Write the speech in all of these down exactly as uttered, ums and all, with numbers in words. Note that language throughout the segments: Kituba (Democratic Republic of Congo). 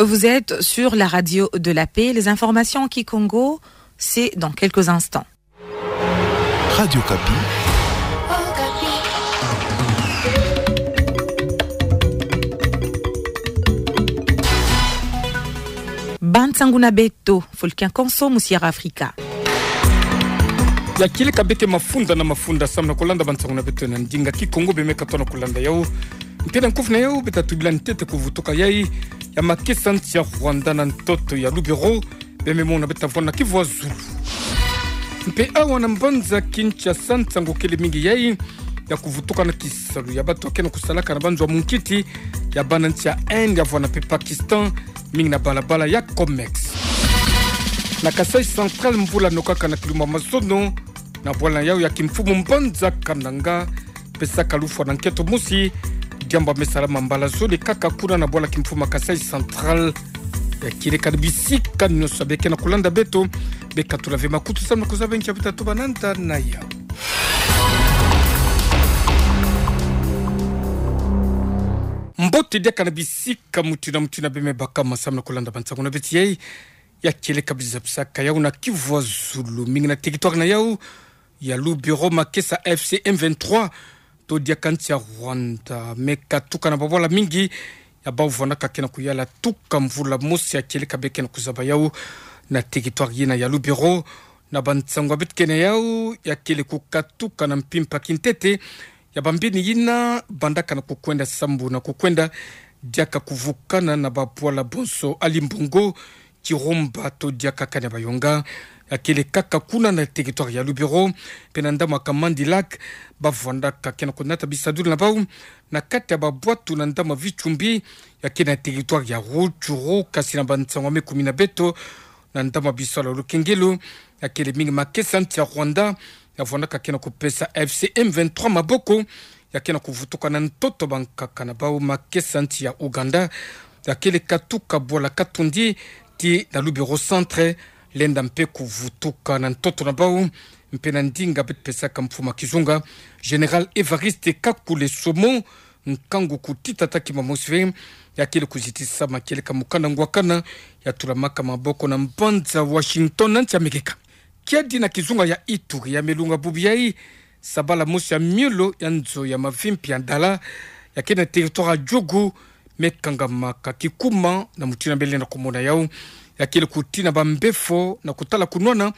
Vous êtes sur la radio de la paix. Les informations en kikongo, c'est dans quelques instants. Radio Okapi. Ba nsangu na beto, Fulkin Konso, mu Sierra Africa. Ya kieleka beke mafunda na mafunda samu na kulanda ba nsangu na beto na ndinga kikongo, bemeka tona kulanda yau. Mpe na nkufi na yau, beta tubila ntete kuvutuka yai ya makesa nsi ya Rwanda na ntoto ya Lubero, bememona beta vwanda na kivua zulu. Mpe awa na mbanza Kinshasa, nsangu kele mingi yai ya kuvutuka na kisalu ya bato kena kusalaka na banzo ya munkiti ya bana nsi ya Inde, ya vwanda mpe Pakistan, mingi na balabala ya Comex. Na Kasaï Central, mvula nokaka na kilumbu ya mazono, na bwala yau ya kimfumu mbanza Kananga, pesaka lufwa na nketo mosi, diambu ya me salama mbala zole kaka kuna na bwala kimfumu ya Kasaï Central. Ya kieleka na bisika nyonso beke na kulanda beto, bekatula ve makutu samu na kuzaba nkia beta tuba nanda na yau. Mbote diaka na bisika mutina mutina beme bakama samu na kulanda ba nsangu na beto yai. Ya kieleka biza bisaka yau na kivua zulu, mingi na territoire na yau ya Lubero, makesa F C M vingt-trois, to diaka nsi ya Rwanda, me katuka na babwala mingi ya bau vwandaka kena kuyala tuka mvula mosi. Ya kieleka beke na kuzaba yau na territoire yina ya Lubero. Na ba nsangu ya beto kena yau, ya kele kukatuka na mpimpa kintete ya bambini yina bandaka na kukwenda sambu na kukwenda, diaka kuvukana na babwala bonso Alimbongo, Kirumba to diaka Kanyabayonga. Ya kele kaka kuna na territoire ya Lubero, mpe na ndambu ya Kamandi Lac, bavwandaka kena kunata bisadulu na bau na kati ya babwatu na ndambu ya Vichumbi, ya kele na territoire ya Rutshuru. Kasi na ba nsangu ya me kumina beto, na ndambu ya bisalu ya lukengelo, ya kele mingi makesa nsi ya Rwanda ya vwandaka kena kupesa F C M vingt-trois maboko, ya kena kuvutuka na ntoto bankaka na bau. Makesa nsi ya Ouganda, ya kele katuka bwala Katondi tii na Lubero Centre, lenda mpe kuvutuka na ntoto na bau. Mpe na ndinga beto pesaka mfumu ya kizunga, Général Évariste Kakule Somo, nkangu kutita taki mamosi ve, ya kele kuzitisa makieleka mukanda ngwakana ya tulamaka maboko na mbanza Washington na nsi ya Amerika. Kiadi na kizunga ya Ituri, ya me lunga bubu yai, sabala mosi ya miolo ya nzo ya mavimpi ya Dala, ya kele na territoire ya Djugu, me kangamaka kikuma na mutina bele na kumona yau. Ya kele kutina bambefo na kutala kunwana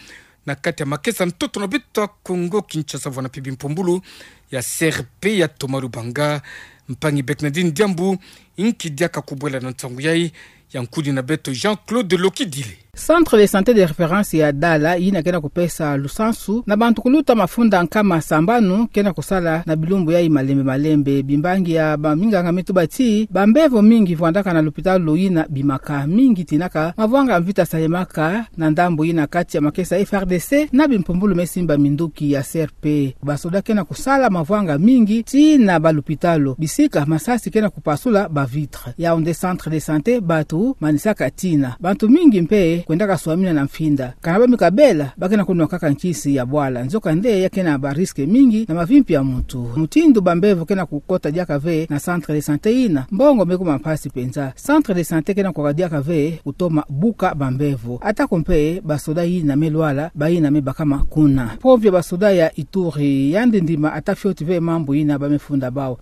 na kati ya makesa ntoto na beto ya Kongo Kinshasa, vwanda mpe bimpumbulu ya C R P ya Thomas Lubanga. Mpangi Bernardine Diambu, nki diaka kubwela na nsangu yai? Ya nkudi na beto Jean-Claude Lokidile. Centre de santé de référence ya Dala, yina kena kupesa lusansu na bantu kuluta mafunda nkama sambanu kena kusala na bilumbu yai malembe malembe. Bimbangi ya baminganga me tuba ti bambevo mingi vwandaka na lupitalu yina bimaka, mingi tinaka mavwanga mvita salemaka na ndambu yina kati ya makesa F R D C na bimpumbulu me simba minduki ya C R P. Basoda kena kusala mavwanga mingi tii na balupitalu, bisika masasi kena kupasula ba vitre. Yaoundé, centre de santé, batu manisaka tina. Bantu mingi mpe kwendaka swamina na mfinda. Kana bami kabela, bakena kunwa kaka nkisi ya bwala. Nzokande ya kena ba risque mingi na mavimpi ya muntu. Mutindu bambevo kena kukota diaka ve na centre de santé yina, mbongo me kuma mpasi mpenza. Centre de santé kena kukaka diaka ve kutoma buka bambevo. Atako mpe basoda yina me lwala, bayina me bakama kuna. Mpove ya basoda ya Ituri yandi ndima ata fioti ve mambu yina bame funda bau.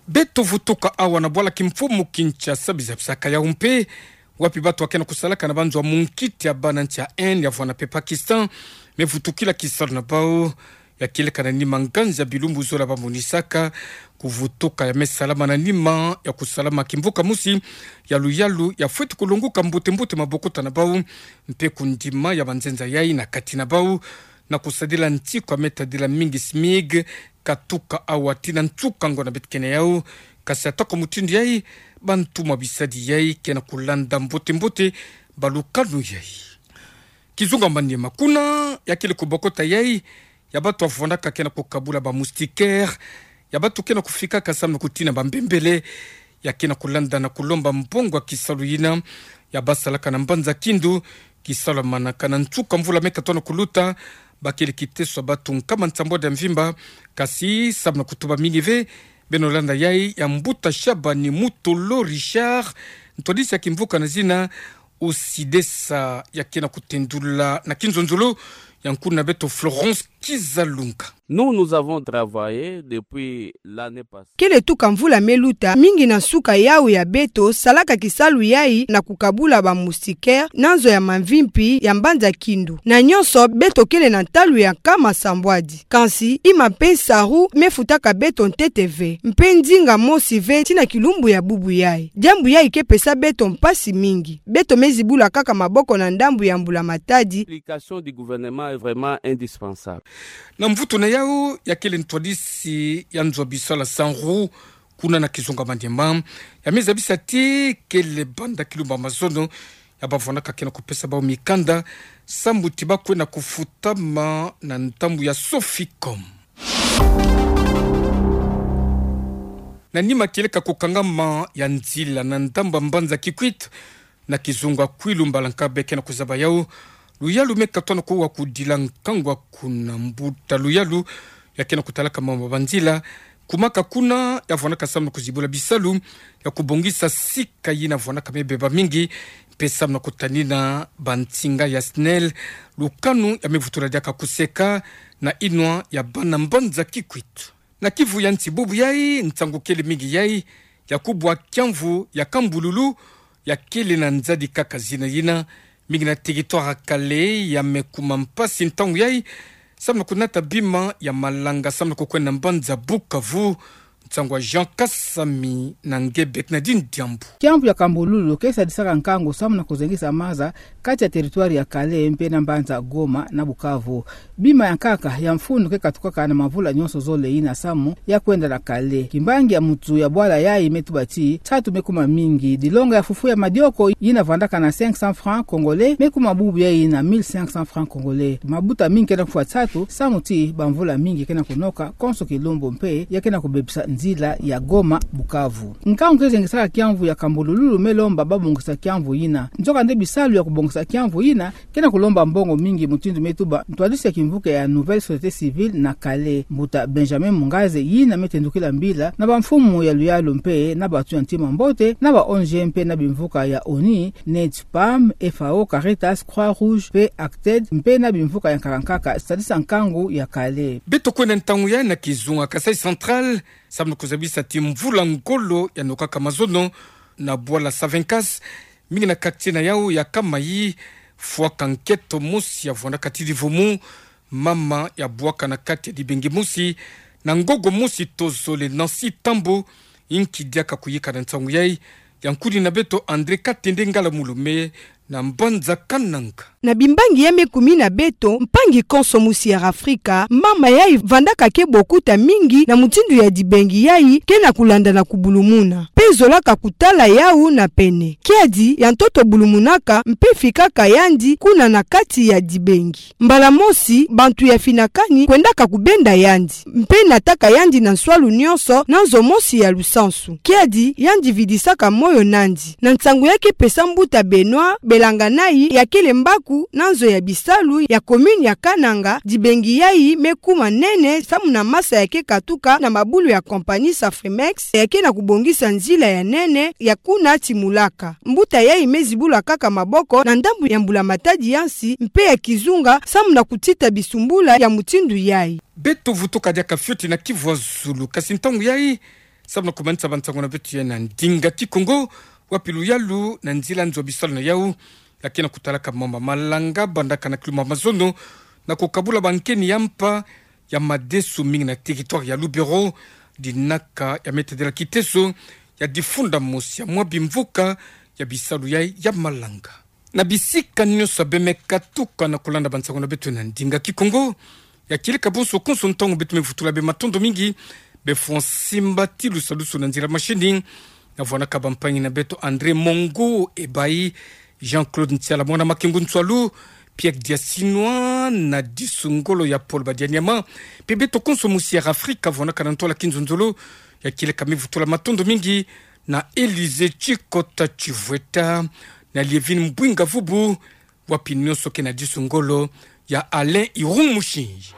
Beto vutuka awa na bwala kimfumu Kinshasa, biza bisaka yau mpe, wapi batu kena kusalaka na banzo ya munkiti ya bana nsi ya Inde, ya vwanda mpe Pakistan, me vutukila kisalu na bau. Ya kieleka na nima nganzi ya bilumbu zola bamonisaka. Kuvutuka ya me salama na nima ya kusalama kimvuka mosi ya luyalu ya fweti kulonguka mbote mbote mabokota na bau, mpe kundima ya banzenza yai na kati na bau, na kusadila nsiku ya me tadila mingi SMIG, katuka awa tii na nsuka ngonda beto kena yau. Kasi atako mutindu yai, bantu mwa bisadi yai kena kulanda mbote mbote balukanu yai. Kizunga Maniema, kuna ya kele kubokota yai ya batu ya vwandaka kena kukabula ba moustiquaire, ya batu kena kufikaka samu na kutina bambembele, ya kena kulanda na kulomba mbongo ya kisalu yina ya basalaka na mbanza Kindu, kisalu ya manaka na nsuka mvula me katono kuluta. Bakele kiteso ya batu nkama nsambwadi ya mvimba, kasi samu na kutuba mingi ve, Beno landa yai ya mbuta Shabani Mutolo Richard, ntwadisi ya kimvuka na zina Usidesa, ya kena kutendula na kinzonzolo ya nkuna na beto Florence Kizalunga. Nous, nous avons travaillé depuis l'année passée. Kele tuka mvula me luta, mingi na nsuka yawu ya beto salaka kisalu yayi na kukabula ba moustiquaires na nzo ya mamvimpi ya mbanza Kindu. Na nyonso, beto kele na ntalu ya nkama sambwadi. Kansi, ima mpe nsaru me futaka beto ntete ve, mpe ndinga mosi ve tii na kilumbu ya bubu yayi. Diambu yayi ke pesa beto mpasi mingi. Beto me zibula kaka maboko na ndambu ya mbula-matadi. L'implication du gouvernement est vraiment indispensable. Na mvutu na yawu, ya kele ntwadisi ya nzo ya bisalu ya SANRU kuna na kizunga Maniema, ya me zabisa ti kele banda kilumbu ya mazono ya bavwandaka kena kupesa bawu mikanda, samu ti ba kwenda kufutama na ntambu ya Soficom. Na nima kieleka kukangama ya nzila na ndambu ya mbanza Kikwit, na kizunga Kwilu, mbala nka be kena kuzaba yawu, luyalu me katwa na kuwa kudila nkangu kuna. Mbuta luyalu ya kena kutalaka mambu ya banzila, kumaka kuna, ya vwandaka samu na kuzibula bisalu ya kubongisa sika yina vwandaka me beba mingi, mpe samu na kutanina bansinga ya SNEL lukanu ya me vutula diaka kuseka na inwa ya bana mbanza Kikwit. Na kivu ya nsi bubu yayi, nsangu kele mingi yayi ya kubwa kiamvu ya Kambululu, ya kele na nzadi kaka zina yina, mingi na territoire ya Kale, ya me kuma mpasi ntangu yayi samu na kunata bima ya malanga samu na kukwenda na mbanza Bukavu. Nsangu ya Jean Kasami na Ngebek Nadine Diambu. Kiamvu ya Kambululu ke sadisaka nkangu samu na kuzengisa maza kati ya territoire ya Kale mpe na mbanza Goma na Bukavu. Bima ya nkaka ya mfunu ke katukaka na mavula nyonso zole yina samu ya kwenda na Kale. Kimbangi ya mutu ya bwala yayi me tuba ti nsatu me kuma mingi. Dilonga ya fufu ya madioko yina vwandaka na cinq cents francs congolais me kuma bubu yayi na mille cinq cents francs congolais. Mabuta mingi kena kufwa nsatu samu ti bamvula mingi kena kunoka konso kilumbu mpe ya kena kubebisa nzila ya Goma Bukavu. Nkangu ke zengisaka kiamvu ya Kambululu me lomba ba bongisa kiamvu yina. Nzokande bisalu ya kubongisa kiamvu yina kena kulomba mbongo mingi, mutindu me tuba ntwadisi ya kimvuka ya Nouvelle Société Civile na Kale, mbuta Benjamin Mungaze, yina me tendukila mbila na bamfumu ya luyalu mpe na bantu ya ntima mbote, na ba O N G mpe na bimvuka ya ONU, neti PAM, FAO, Caritas, Croix-Rouge mpe ACTED, mpe na bimvuka ya nkaka nkaka sadisa nkangu ya Kale. Beto kwenda ntangu yayi na kizunga Kasaï Central, samu na kuzabisa ti mvula ngolo ya nokaka mazono na bwala Savencas, mingi na quartier na yawu ya Kamayi, fwaka nketo mosi ya vwandaka ti divumu, mama ya bwaka na kati ya dibengi mosi na ngogo mosi tozole, Nancy Tambo, inki diaka kuyika na nsangu yayi, ya nkuni na beto André Katende Ngala Mulume na mbanza Kananga. Na bimbangi ya me kumi na beto, mpangi konso musi ya Afrika, mama yayi vandaka ke bokuta mingi na mutindu ya dibengi yayi kena kulanda na kubulumuna, mpe zolaka kutala yawu na pene. Kiadi ya ntoto bulumunaka mpe fikaka yandi kuna na kati ya dibengi. Mbala mosi, bantu ya finakani kwendaka kubenda yandi, mpe nataka yandi na nswalu nyonso na nzo mosi ya lusansu. Kiadi yandi vidisaka moyo nandi. Na nsangu ya ke pesa mbuta Benoît Belanganayi, ya kele mbaku na nzo ya bisalu ya commune ya Kananga, dibengi yayi me kuma nene samu na masa ya ke katuka na mabulu ya compagnie Safrimex, ya kena kubongisa nzila ya nene ya kuna ti Mulaka. Mbuta yayi me zibula kaka maboko na ndambu ya mbula-matadi ya nsi mpe ya kizunga samu na kutita bisumbula ya mutindu yayi. Beto vutuka diaka fioti na kivu ya zulu, kasi ntangu yayi, samu na kumanisa bansangu na beto ya na ndinga Kikongo, wapi luyalu na nzila nzo ya bisalu na yawu ya kena kutalaka mamba malanga bandaka na kilumbu ya mazono na kukabula bankeni ya mpa ya madesu mingi na territoire ya Lubero, dinaka ya me tadila kiteso ya difunda mosi ya mwa bimvuka ya bisalu yayi ya malanga. Na bisika nyonso be me katuka na kulanda bansangu na beto na ndinga Kikongo, ya kieleka bonso konso ntangu beto me vutula be matondo mingi, be fwa nsimbatilu salusu na nzila mashini, na vwanaka bampangi na beto André Mongo Ebayi, Jean-Claude Ntiala, mwana Makengo Ntsualu, Pierre Diasinwa, na Disu Ngolo ya Paul Badianyama, mpe beto konso musi ya Afrika vwanaka na ntola kinzonzolo, ya kieleka me vutula matondo mingi na Élysée Tshikota Tshivweta, na Lievine Mbwinga Vubu, wapi nyonso ke na Disu Ngolo ya Alain Irung Mushinji.